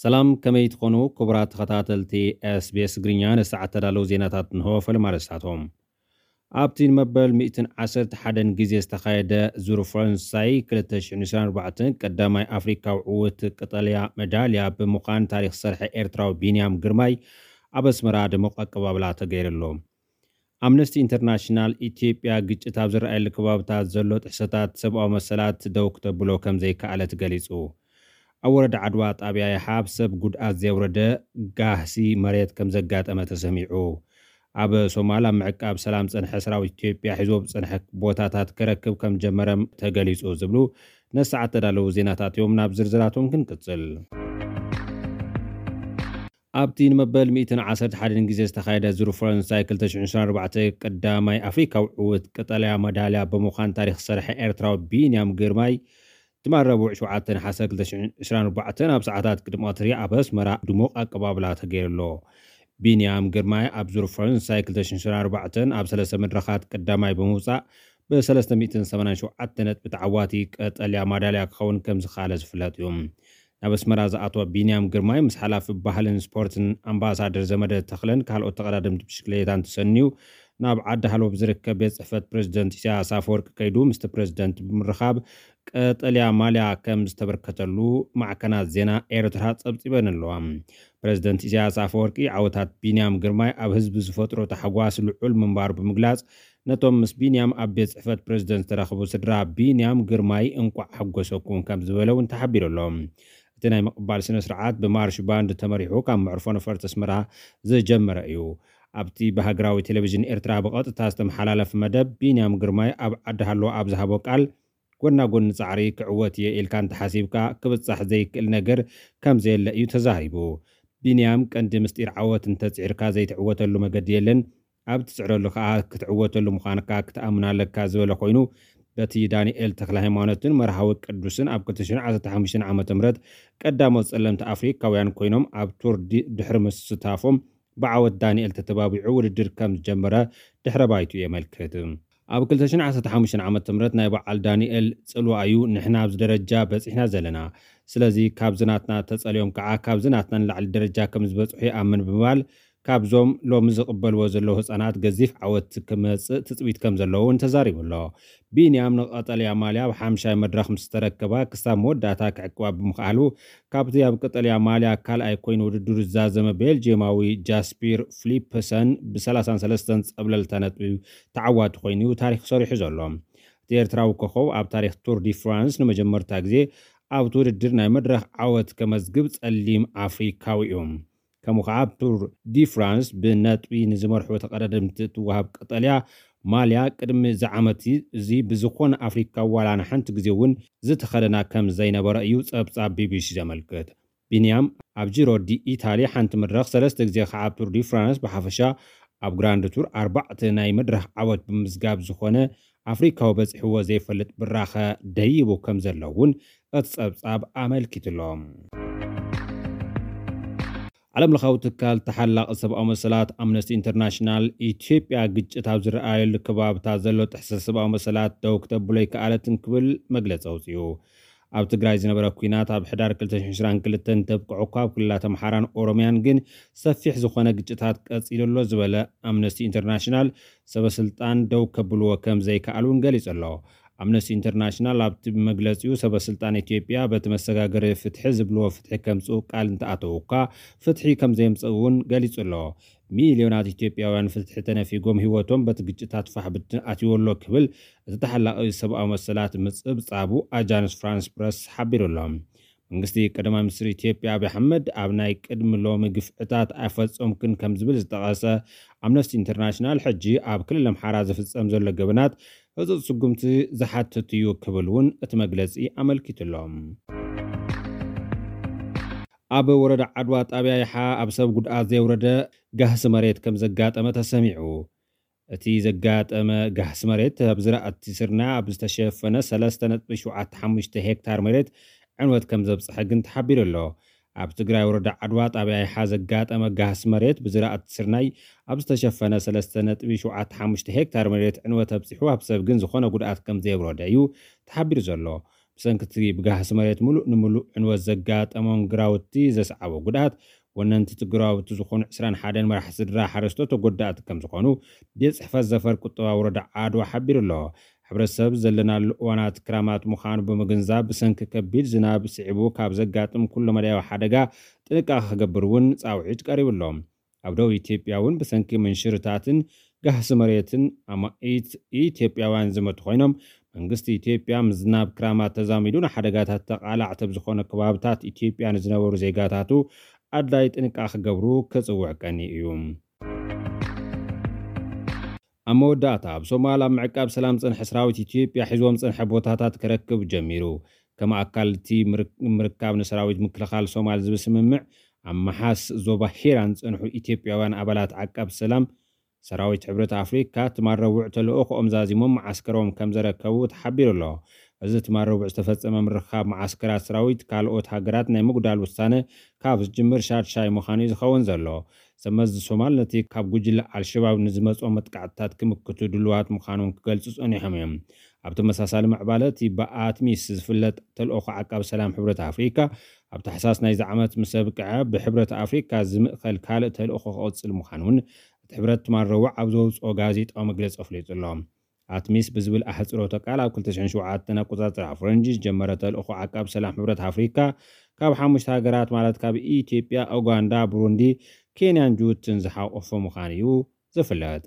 ሰላም፣ ከመይ ትኾኑ ክቡራት ተኸታተልቲ SBS ትግርኛ? ንሰዓት ተዳለዉ ዜናታት እንሆ። ፈለማ ኣርእስታቶም። ኣብቲ ንመበል ሚእትን ዓሰርተ ሓደን ግዜ ዝተኻየደ ዙር ፈረንሳይ ክልተ ሽሕን ዕስራን ኣርባዕተን ቀዳማይ ኣፍሪካዊ ዕውት ቀጠልያ መዳልያ ብምዃን ታሪኽ ዝሰርሐ ኤርትራዊ ቢንያም ግርማይ ኣብ ኣስመራ ድሙቕ ኣቀባብላ ተገይርሉ። ኣምነስቲ ኢንተርናሽናል ኢትዮጵያ ግጭት ኣብ ዝረኣየሉ ከባብታት ዘሎ ጥሕሰታት ሰብኣዊ መሰላት ደው ክተብሎ ከም ዘይከኣለት ገሊጹ። ኣብ ወረዳ ዓድዋ ጣብያ ይሓ ኣብ ሰብ ጉድኣት ዘየውረደ ጋህሲ መሬት ከም ዘጋጠመ ተሰሚዑ። ኣብ ሶማል ኣብ ምዕቃብ ሰላም ዝጸንሐ ሰራዊት ኢትዮጵያ ሒዝዎ ብዝጸንሐ ቦታታት ክረክብ ከም ዝጀመረ ተገሊጹ ዝብሉ ነሰዓት ተዳለዉ ዜናታት እዮም። ናብ ዝርዝራቶም ክንቅጽል። ኣብቲ ንመበል ሚእትን ዓሰርተ ሓደን ግዜ ዝተኻየደ ዙር ፈረንሳይ ክልተ ሽሕን ዕስራን ኣርባዕተን ቀዳማይ ኣፍሪካዊ ዕውት ቀጠልያ መዳልያ ብምዃን ታሪኽ ዝሰርሐ ኤርትራዊ ቢንያም ግርማይ ትማል ረቡዕ ሸውዓተ ነሓሰ ክልተ ሽሕን ዕስራን ኣርባዕተን ኣብ ሰዓታት ቅድሚ ቀትሪ ኣብ ኣስመራ ድሙቕ ኣቀባብላ ተገይሩሎ። ቢንያም ግርማይ ኣብ ዙር ፈረንሳይ ክልተ ሽሕን ዕስራን ኣርባዕተን ኣብ ሰለስተ መድረኻት ቀዳማይ ብምውጻእ ብሰለስተ ሚእትን ሰማንያን ሸውዓተ ነጥቢ ተዓዋቲ ቀጠልያ ማዳልያ ክኸውን ከም ዝኸኣለ ዝፍለጥ እዩ። ናብ ኣስመራ ዝኣተወ ቢንያም ግርማይ ምስ ሓላፊ ባህልን ስፖርትን ኣምባሳደር ዘመደ ተኽለን ካልኦት ተቐዳደምቲ ብሽክሌታን ተሰንዩ ናብ ዓዲ ሃሎ ብዝርከብ ቤት ጽሕፈት ፕሬዚደንት ኢሳያስ ኣፈወርቂ ከይዱ ምስቲ ፕሬዚደንት ብምርኻብ ቀጠልያ ማልያ ከም ዝተበርከተሉ ማዕከናት ዜና ኤርትራ ጸብጺበን ኣለዋ። ፕሬዚደንት ኢሳያስ ኣፈወርቂ ዓወታት ቢንያም ግርማይ ኣብ ህዝቢ ዝፈጥሮ ታሕጓስ ልዑል ምንባሩ ብምግላጽ ነቶም ምስ ቢንያም ኣብ ቤት ጽሕፈት ፕሬዚደንት ዝተረኽቡ ስድራ ቢንያም ግርማይ እንቋዕ ሓጎሰኩም ከም ዝበለ እውን ተሓቢሩ ኣሎ። እቲ ናይ ምቕባል ስነ ስርዓት ብማርሽ ባንድ ተመሪሑ ካብ መዕርፎ ነፈርቲ ኣስመራ ዝጀመረ እዩ። ኣብቲ ብሃገራዊ ቴሌቪዥን ኤርትራ ብቐጥታ ዝተመሓላለፈ መደብ ቢንያም ግርማይ ኣብ ዓዲ ሃሎ ኣብ ዝሃቦ ቃል ጎና ጎኒ ጻዕሪ ክዕወት እየ ኢልካ እንተሓሲብካ ክብጻሕ ዘይክእል ነገር ከም ዘየለ እዩ ተዛሪቡ። ቢንያም ቀንዲ ምስጢር ዓወት እንተጽዒርካ ዘይትዕወተሉ መገዲ የለን፣ ኣብ ትጽዕረሉ ከኣ ክትዕወተሉ ምዃንካ ክትኣምን ኣለካ ዝበለ ኮይኑ በቲ ዳንኤል ተክለ ሃይማኖትን መርሃዊ ቅዱስን ኣብ ክልተ ሽሕን ዓሰርተ ሓሙሽተን ዓመተ ምህረት ቀዳሞት ጸለምቲ ኣፍሪካውያን ኮይኖም ኣብ ቱር ድሕሪ ምስታፎም ብዓወት ዳንኤል ተተባቢዑ ውድድር ከም ዝጀመረ ድሕረ ባይቱ የመልክት። ኣብ ክልተ ሽሕን ዓሰርተ ሓሙሽተን ዓመተ ምህረት ናይ በዓል ዳንኤል ጽልዋ እዩ ንሕና ኣብዚ ደረጃ በጺሕና ዘለና። ስለዚ ካብዚ ናትና ተጸልዮም ከዓ ካብዚ ናትና ንላዕሊ ደረጃ ከም ዝበጽሑ ይኣምን ብምባል ካብዞም ሎሚ ዝቕበልዎ ዘለዉ ህጻናት ገዚፍ ዓወት ክመጽእ ትጽቢት ከም ዘለዎ እውን ተዛሪቡ ኣሎ። ቢንያም ንቐጠልያ ማልያ ኣብ ሓምሻይ መድረኽ ምስ ተረከባ ክሳብ መወዳእታ ክዕቅባ ብምኽኣሉ ካብቲ ኣብ ቀጠልያ ማልያ ካልኣይ ኮይኑ ውድድሩ ዝዛዘመ ቤልጅየማዊ ጃስፒር ፍሊፕሰን ብ33 ጸብለልታ ነጥቢ ተዓዋቲ ኮይኑ ታሪኽ ሰሪሑ ዘሎ። እቲ ኤርትራዊ ኮኸብ ኣብ ታሪኽ ቱር ዲ ፍራንስ ንመጀመርታ ግዜ ኣብቲ ውድድር ናይ መድረኽ ዓወት ከመዝግብ ጸሊም ኣፍሪካዊ እዩ። ከምኡ ከዓ ኣብ ቱር ዲ ፍራንስ ብነጥቢ ንዝመርሑ ተቐዳደምቲ እትወሃብ ቀጠልያ ማልያ ቅድሚ እዚ ዓመት እዚ ብዝኾነ ኣፍሪካ ዋላ ንሓንቲ ግዜ እውን ዝተኸደና ከም ዘይነበረ እዩ ጸብጻብ ቢቢሲ ዘመልክት። ቢንያም ኣብ ጂሮ ዲ ኢታሊ ሓንቲ መድረኽ ሰለስተ ግዜ ከዓ ኣብ ቱር ዲ ፍራንስ ብሓፈሻ ኣብ ግራንድ ቱር ኣርባዕተ ናይ መድረኽ ዓወት ብምዝጋብ ዝኾነ ኣፍሪካዊ በፂሕዎ ዘይፈልጥ ብራኸ ደይቡ ከም ዘሎ እውን እቲ ጸብጻብ ኣመልኪትሎም። ዓለም ለኻዊ ትካል ተሓላቒ ሰብኣዊ መሰላት ኣምነስቲ ኢንተርናሽናል ኢትዮጵያ ግጭት ኣብ ዝረኣየሉ ከባብታት ዘሎ ጥሕሰት ሰብኣዊ መሰላት ደው ክተብሎ ኣይከኣለትን ክብል መግለፂ ኣውፅኡ። ኣብ ትግራይ ዝነበረ ኲናት ኣብ ሕዳር ክልተ ሽሕን ዕስራን ክልተን እንተብቅዑ እኳ ኣብ ክልላት ኣምሓራን ኦሮምያን ግን ሰፊሕ ዝኾነ ግጭታት ቀፂሉ ኣሎ ዝበለ ኣምነስቲ ኢንተርናሽናል ሰበ ስልጣን ደው ከብልዎ ከም ዘይከኣሉ እውን ገሊፁ ኣሎ። ኣምነስቲ ኢንተርናሽናል ኣብቲ መግለፂኡ ሰበ ስልጣን ኢትዮጵያ በቲ መሰጋገሪ ፍትሒ ዝብልዎ ፍትሒ ከምፅኡ ቃል እንተኣተዉ እኳ ፍትሒ ከም ዘየምፅኡ እውን ገሊፁ ኣሎ። ሚልዮናት ኢትዮጵያውያን ፍትሒ ተነፊጎም ህይወቶም በቲ ግጭታት ፋሕ ብትን ኣትይዎ ኣሎ ክብል እቲ ተሓላቒ ሰብኣዊ መሰላት ምፅብፃቡ ኣጃንስ ፍራንስ ፕረስ ሓቢሩ ኣሎ። መንግስቲ ቀዳማይ ሚኒስትር ኢትዮጵያ ኣብይ ኣሕመድ ኣብ ናይ ቅድሚ ሎሚ ግፍዕታት ኣይፈጸምክን ከም ዝብል ዝጠቐሰ ኣምነስቲ ኢንተርናሽናል ሕጂ ኣብ ክልል ኣምሓራ ዝፍጸም ዘሎ ገበናት ህጹጽ ስጉምቲ ዝሓትት እዩ ክብል እውን እቲ መግለጺ ኣመልኪቱ ኣሎ። ኣብ ወረዳ ዓድዋ ጣብያ ይሓ ኣብ ሰብ ጉድኣት ዘየውረደ ጋህሲ መሬት ከም ዘጋጠመ ተሰሚዑ። እቲ ዘጋጠመ ጋህሲ መሬት ኣብ ዝራእቲ ስርናይ ኣብ ዝተሸፈነ ሰለስተ ነጥቢ ሸውዓተ ሓሙሽተ ሄክታር መሬት ዕንወት ከም ዘብጽሐ ግን ተሓቢሩ ኣሎ። ኣብ ትግራይ ወረዳ ዓድዋ ጣብያ ይሓ ዘጋጠመ ጋህሲ መሬት ብዝራእቲ ስርናይ ኣብ ዝተሸፈነ ሰለስተ ነጥቢ ሸውዓተ ሓሙሽተ ሄክታር መሬት ዕንወት ኣብጺሑ ኣብ ሰብ ግን ዝኾነ ጉድኣት ከም ዘየውረደ እዩ ተሓቢሩ ዘሎ። ብሰንኪ እቲ ብጋህሲ መሬት ምሉእ ንምሉእ ዕንወት ዘጋጠሞም ግራውቲ ዘስዓቦ ጉድኣት፣ ወነንቲ እቲ ግራውቲ ዝኾኑ ዕስራን ሓደን መራሕቲ ስድራ ሓረስቶት ተጎዳእቲ ከም ዝኾኑ ቤት ጽሕፈት ዘፈር ቁጠባ ወረዳ ዓድዋ ሓቢሩ ኣሎ። ሕብረተሰብ ዘለናሉ እዋናት ክራማት ምዃኑ ብምግንዛብ፣ ብሰንኪ ከቢድ ዝናብ ስዒቡ ካብ ዘጋጥም ኩሉ መዳያዊ ሓደጋ ጥንቃቐ ክገብር እውን ጻውዒት ቀሪቡ ኣሎ። ኣብ ደቡብ ኢትዮጵያ እውን ብሰንኪ ምንሽርታትን ጋህሲ መሬትን ኣማኢት ኢትዮጵያውያን ዝመቱ ኮይኖም፣ መንግስቲ ኢትዮጵያ ምዝናብ ክራማት ተዛሚዱ ንሓደጋታት ተቓላዕቲ ኣብ ዝኾነ ከባብታት ኢትዮጵያ ንዝነበሩ ዜጋታቱ ኣድላይ ጥንቃ ክገብሩ ክጽውዕ ቀኒ እዩ። ኣብ መወዳእታ፣ ኣብ ሶማል ኣብ ምዕቃብ ሰላም ዝጸንሐ ሰራዊት ኢትዮጵያ ሒዝዎም ዝጸንሐ ቦታታት ክረክብ ጀሚሩ። ከም ኣካል እቲ ምርክ-፣ ምርካብ ንሰራዊት ምክልኻል ሶማል ዝብል ስምምዕ፣ ኣብ መሓስ ዞባ ሂራን ዝጸንሑ ኢትዮጵያውያን ኣባላት ዓቃብ ሰላም ሰራዊት ሕብረት ኣፍሪካ ትማል ረቡዕ ተልእኾኦም ዛዚሞም መዓስከሮም ከም ዘረከቡ ተሓቢሩ ኣሎ። እዚ ትማል ረቡዕ ዝተፈጸመ ምርኻብ መዓስከራት ሰራዊት ካልኦት ሃገራት ናይ ምጉዳል ውሳነ ካብ ዝጅምር ሻድሻይ ምዃኑ እዩ ዝኸውን ዘሎ። ሰብ መዚ ሶማል ነቲ ካብ ጉጅለ ኣልሸባብ ንዝመጾ መጥቃዕትታት ክምክቱ ድልዋት ምዃኖም ክገልጹ ጸኒሖም እዮም። ኣብ ተመሳሳሊ ምዕባለ፣ እቲ ብኣትሚስ ዝፍለጥ ተልእኾ ዓቃብ ሰላም ሕብረት ኣፍሪካ ኣብ ታሕሳስ ናይዚ ዓመት ምስ ኣብቅዐ፣ ብሕብረት ኣፍሪካ ዝምእኸል ካልእ ተልእኾ ክቕጽል ምዃኑ እውን እቲ ሕብረት ትማል ረቡዕ ኣብ ዘውፅኦ ጋዜጣዊ መግለጺ ኣፍሊጡ ኣሎ። ኣትሚስ ብዝብል ኣሕፅሮተ ቃል፣ ኣብ ክልተ ሽሕን ሸውዓተን ኣቆጻጽራ ፈረንጂ ዝጀመረ ተልእኾ ዓቃብ ሰላም ሕብረት ኣፍሪካ፣ ካብ ሓሙሽተ ሃገራት፣ ማለት ካብ ኢትዮጵያ፣ ኡጋንዳ፣ ብሩንዲ፣ ኬንያን ጅቡትን ዝሓቆፈ ምዃኑ እዩ ዝፍለጥ።